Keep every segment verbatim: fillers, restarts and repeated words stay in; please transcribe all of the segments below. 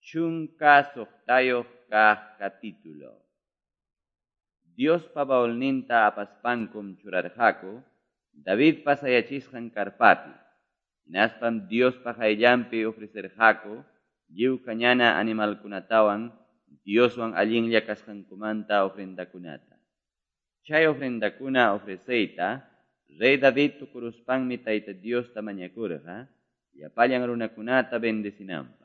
Chunka suqtayuq kaq capítulo. Diospa baulninta apaspankum churarqaku Davidpa sayachisqan karpapi. Hinaspam Diospa qayllanpi ofrecerqaku lliw kañana animalkunatawan Dioswan allinlla kasqankumanta ofrendakunata. Chay ofrendakuna ofreceyta Rey David tukuruspanmi Tayta Diosta mañakurqa llapallan runakunata bendecinanpaq.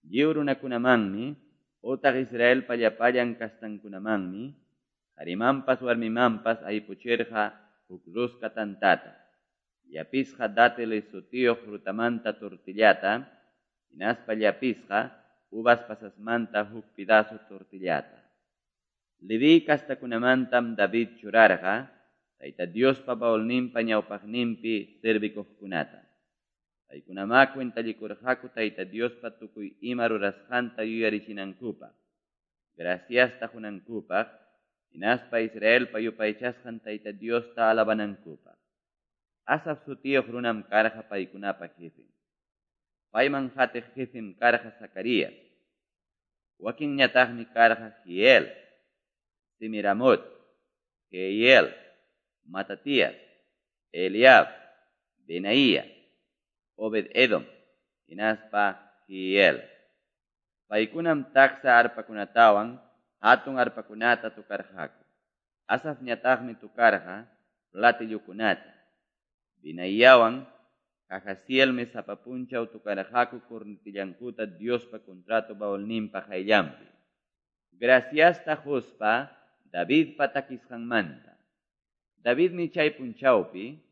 Lliw runakunamanmi otaq Israelpa llapallan kastankunamanmi qarimanpas warmimanpas aypuchirqa huk rosca tantata, llapisqa dátiles sutiyuq frutamanta tortillata, hinaspa llapisqa uvas pasasmanta huk pedazo tortillata. Leví kastakunamantam David churarqa Tayta Diospa baulninpa ñawpaqninpi servikuqkunata. Paykunamá cuentallikurqaku Tayta Diospa tukuy ima rurasqanta yuyarichinankupaq, graciasta qunankupaq, hinaspa Israelpa yupaychasqan Tayta Diosta alabanankupaq. Asaf sutiyuq runam karqa paykunapa jefen. Payman qatiq jefem karqa Zacarías. Wakinñataqmi karqa Jiel, Semiramot, Jeiel, Matatías, Eliab, Benaía, Obed-Edom, hinaspa Jiel. Paykunam taksa arpakunatawan hatun arpakunata tukarqaku. Asafñataqmi tukarqa platillokunata. Benaiawan Jahazielmi sapa punchaw tukarqaku cornetillankuta Diospa contrato baulninpa qayllanpi. Graciasta quspa Davidpa takisqanmanta. Davidmi chay punchawpi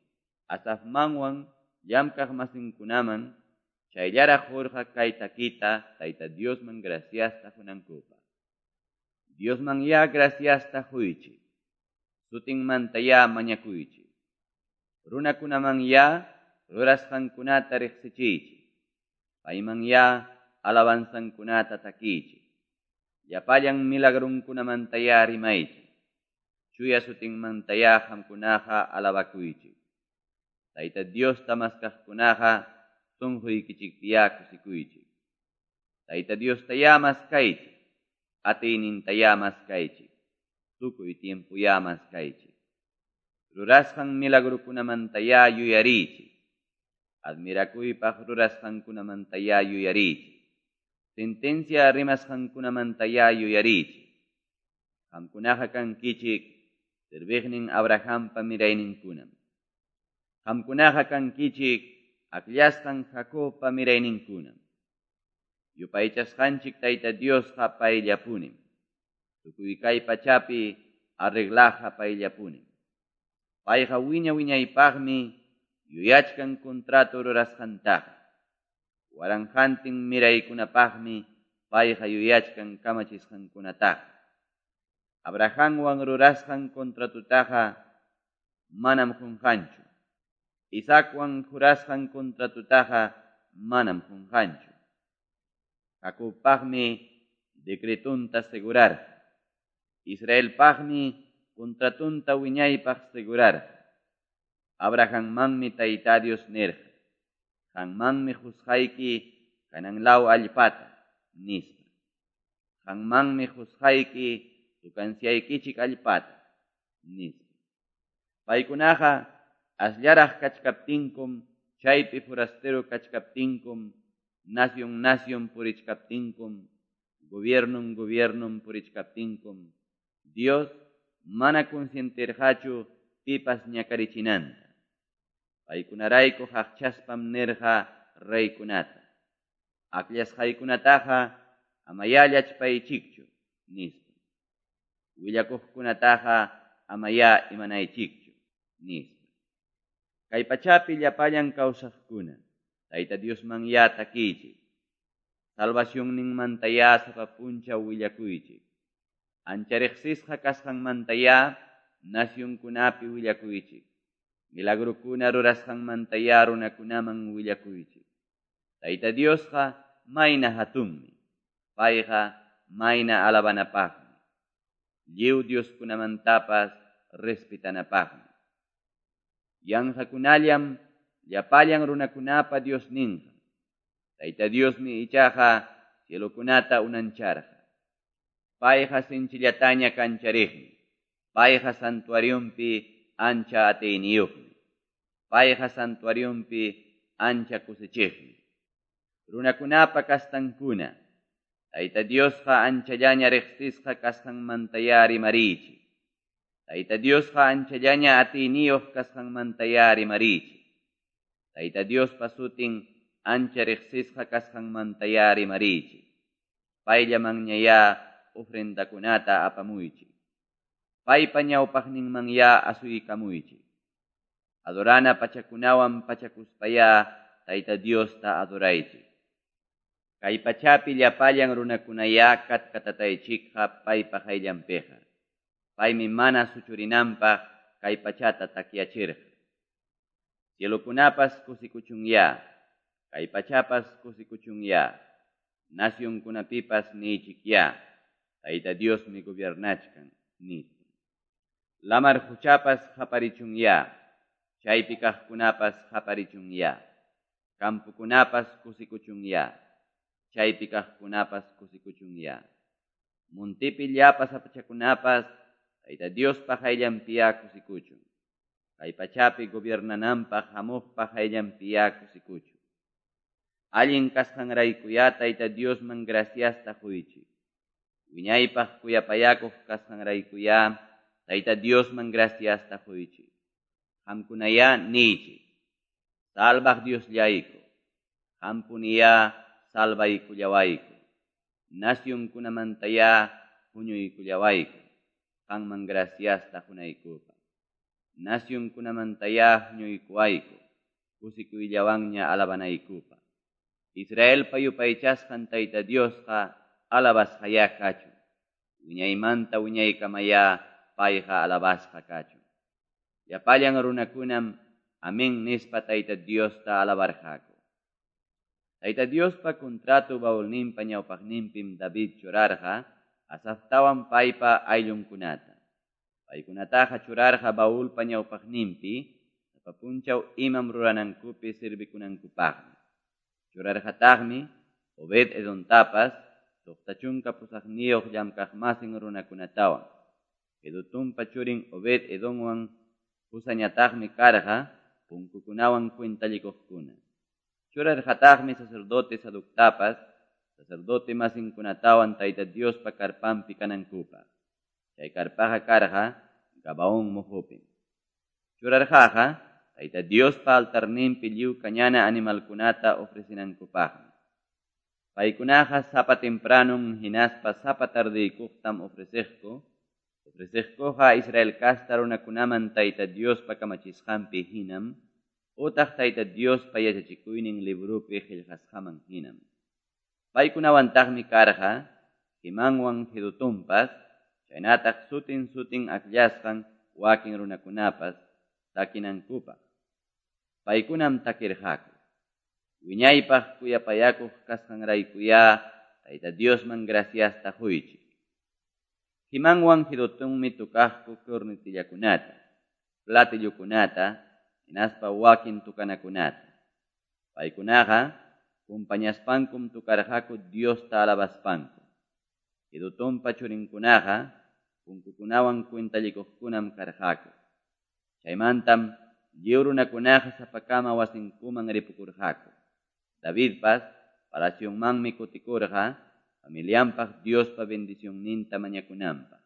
Asafmanwan llamkaq masinkunaman chayllaraq qurqa kay takita Tayta Diosman graciasta qunankupaq. Diosman ya graciasta quychik. Sutinmanta ya mañakuychik. Runakunaman ya rurasqankunata riqsichiychik. Payman ya alabanzankunata takiychik. Llapallan milagrunkunamanta ya rimaychik. Chuya sutinmanta ya qamkunaqa alabakuychik. Tayta Diosta maskaqkunaqa sunquykichikpi ya kusikuychik. Tayta Diosta ya maskaychik. Atiyninta ya maskaychik. Tukuy tiempo ya maskaychik. Rurasqan milagrukunamanta ya yuyariychik. Admirakuypaq rurasqankunamanta ya yuyariychik. Sentencia rimasqankunamanta ya yuyariychik. Qamkunaqa kankichik serviqnin Abrahampa mirayninkunam. Qamkunaqa kankichik akllasqan Jacobpa mirayninkunam. Yupaychasqanchik Tayta Diosqa payllapunim. Tukuy kay pachapi arreglaqa payllapunim. Payqa wiña wiñaypaqmi yuyachkan contrato rurasqantaqa. Waranqantin miraykunapaqmi payqa yuyachkan kamachisqankunataqa. Abrahamwan rurasqan contratutaqa manam qunqanchu. Isaacwan jurasqan contratutaqa manam qunqanchu. Jacobpaqmi decretunta segurarqa. Israelpaqmi contratunta wiñaypaq segurarqa. Abrahammanmi Tayta Dios nirqa. Qanmanmi qusqayki kanan law allpata, nispa. Qanmanmi qusqayki tukansiaykichik allpata, nispa. Paykunaqa asllaraq kachkaptinkum, chaypi forastero kachkaptinkum, nación nación purichkaptinkum, gobiernon gobiernon purichkaptinkum, Dios mana consentirqachu pipas ñakarichinanta. Paykunarayku qaqchaspam nirqa reykunata. Akllasqaykunataqa amayá llachpaychikchu, nispa. Willakuqkunataqa amayá imanaychikchu, nispa. Kay pachapi llapallan kawsaqkuna, Tayta Diosman ya takiychik. Salvacionninmanta ya sapa punchaw willakuychik. Ancha riqsisqa kasqanmanta ya nacionkunapi willakuychik. Milagrukuna rurasqanmanta ya runakunaman willakuychik. Tayta Diosqa mayna hatunmi. Payqa mayna alabanapaqmi. Lliw Dioskunamantapas respetanapaqmi. Yanqakunallam llapallan runakunapa Diosninqa. Tayta Diosmi ichaqa cielokunata unancharqa. Payqa sinchillataña kanchariqmi. Payqa santuarionpi ancha atiyniyuqmi. Payqa santuarionpi ancha kusichiqmi. Runakunapa kastankuna, Tayta Diosqa anchallaña riqsisqa kasqanmantayá rimariychik. Tayta Diosqa anchallaña atiyniyuq kasqanmantayá rimariychik. Tayta Diospa sutin ancha riqsisqa kasqanmantayá rimariychik. Payllamanñayá ofrendakunata apamuychik. Paypa ñawpaqninmanyá asuykamuychik. Adorana pachakunawan pachakuspayá Tayta Diosta adoraychik. Kay pachapi llapallan runakunayá katkatataychikqa paypa qayllanpiqa. Paymi mana suchurinanpaq kay pachata takyachirqa. Cielokunapas kusikuchunyá, kay pachapas kusikuchunyá, nacionkunapipas niychikyá, Tayta Diosmi gobiernachkan, nispa. Lamar quchapas qaparichunyá, chaypi kaqkunapas qaparichunyá, campokunapas kusikuchunyá, chaypi kaqkunapas kusikuchunyá. Montepi llapa sapachakunapas Tayta Diospa qayllanpiyá kusikuchun. Kay pachapi gobiernananpaq hamuqpa qayllanpiyá kusikuchun. Allin kasqanraykuyá Tayta Diosman graciasta quychik. Wiñaypaq kuyapayakuq kasqanraykuyá Tayta Diosman graciasta quychik. Qamkunayá niychik. Salvaq Diosllayku. Qampuniyá salvaykullawayku. Nacionkunamantayá huñuykullawayku. Qanman graciasta qunaykupaq. Nacionkunamantayá huñuykuwayku. Kusikuyllawanña alabanaykupaq. Israelpa yupaychasqan Tayta Diosqa alabasqayá kachun. Wiñaymanta wiñaykamayá payqa alabasqa kachun. Llapallan runakunam amén nispa Tayta Diosta alabarqaku. Tayta Diospa contrato baulninpa ñawpaqninpim David churarqa Asaftawan paypa ayllunkunata. Paykunataqa churarqa baulpa ñawpaqninpi sapa punchaw imam ruranankupi servikunankupaqmi. Churarqataqmi Obed Edontapas suqta chunka pusaqniyuq llamkaqmasin runakunatawan. Jedutunpa churin Obed Edonwan Husañataqmi karqa punkukunawan cuentallikuqkuna. Churarqataqmi sacerdote Sadoctapas, sacerdote masinkunatawan Tayta Diospa karpanpi kanankupaq. Chay karpaqa karqa Gabaón muhupim. Churarqaqa Tayta Diospa altarninpi lliw kañana animalkunata ofrecinankupaqmi. Paykunaqa sapa tempranum hinaspa sapa tardeykuqtam ofreceqku. Ofreceqkuqa Israel kasta runakunaman Tayta Diospa kamachisqanpi hinam, utaq Tayta Diospa yachachikuynin librupi qillqasqaman hinam. Paykunawantaqmi karqa Hemanwan Jedutunpas, chaynataq sutin sutin akllasqan wakin runakunapas takinankupaq. Paykunam takirqaku. Wiñaypaq kuyapayakuq kasqanraykuyá Tayta Diosman graciasta quychik. Hemanwan Jedutunmi tukaqku cornetillakunata, platillokunata, hinaspa wakin tukanakunata. Paykunaqa kumpañaspankum tukarqaku Diosta alabaspanku. Jedutunpa churinkunaqa punkukunawan cuentallikuqkunam karqaku. Chaymantam lliw runakunaqa sapakama wasinkuman ripukurqaku. Davidpas palacionmanmi kutikurqa familianpaq Diospa bendicionninta mañakunanpaq.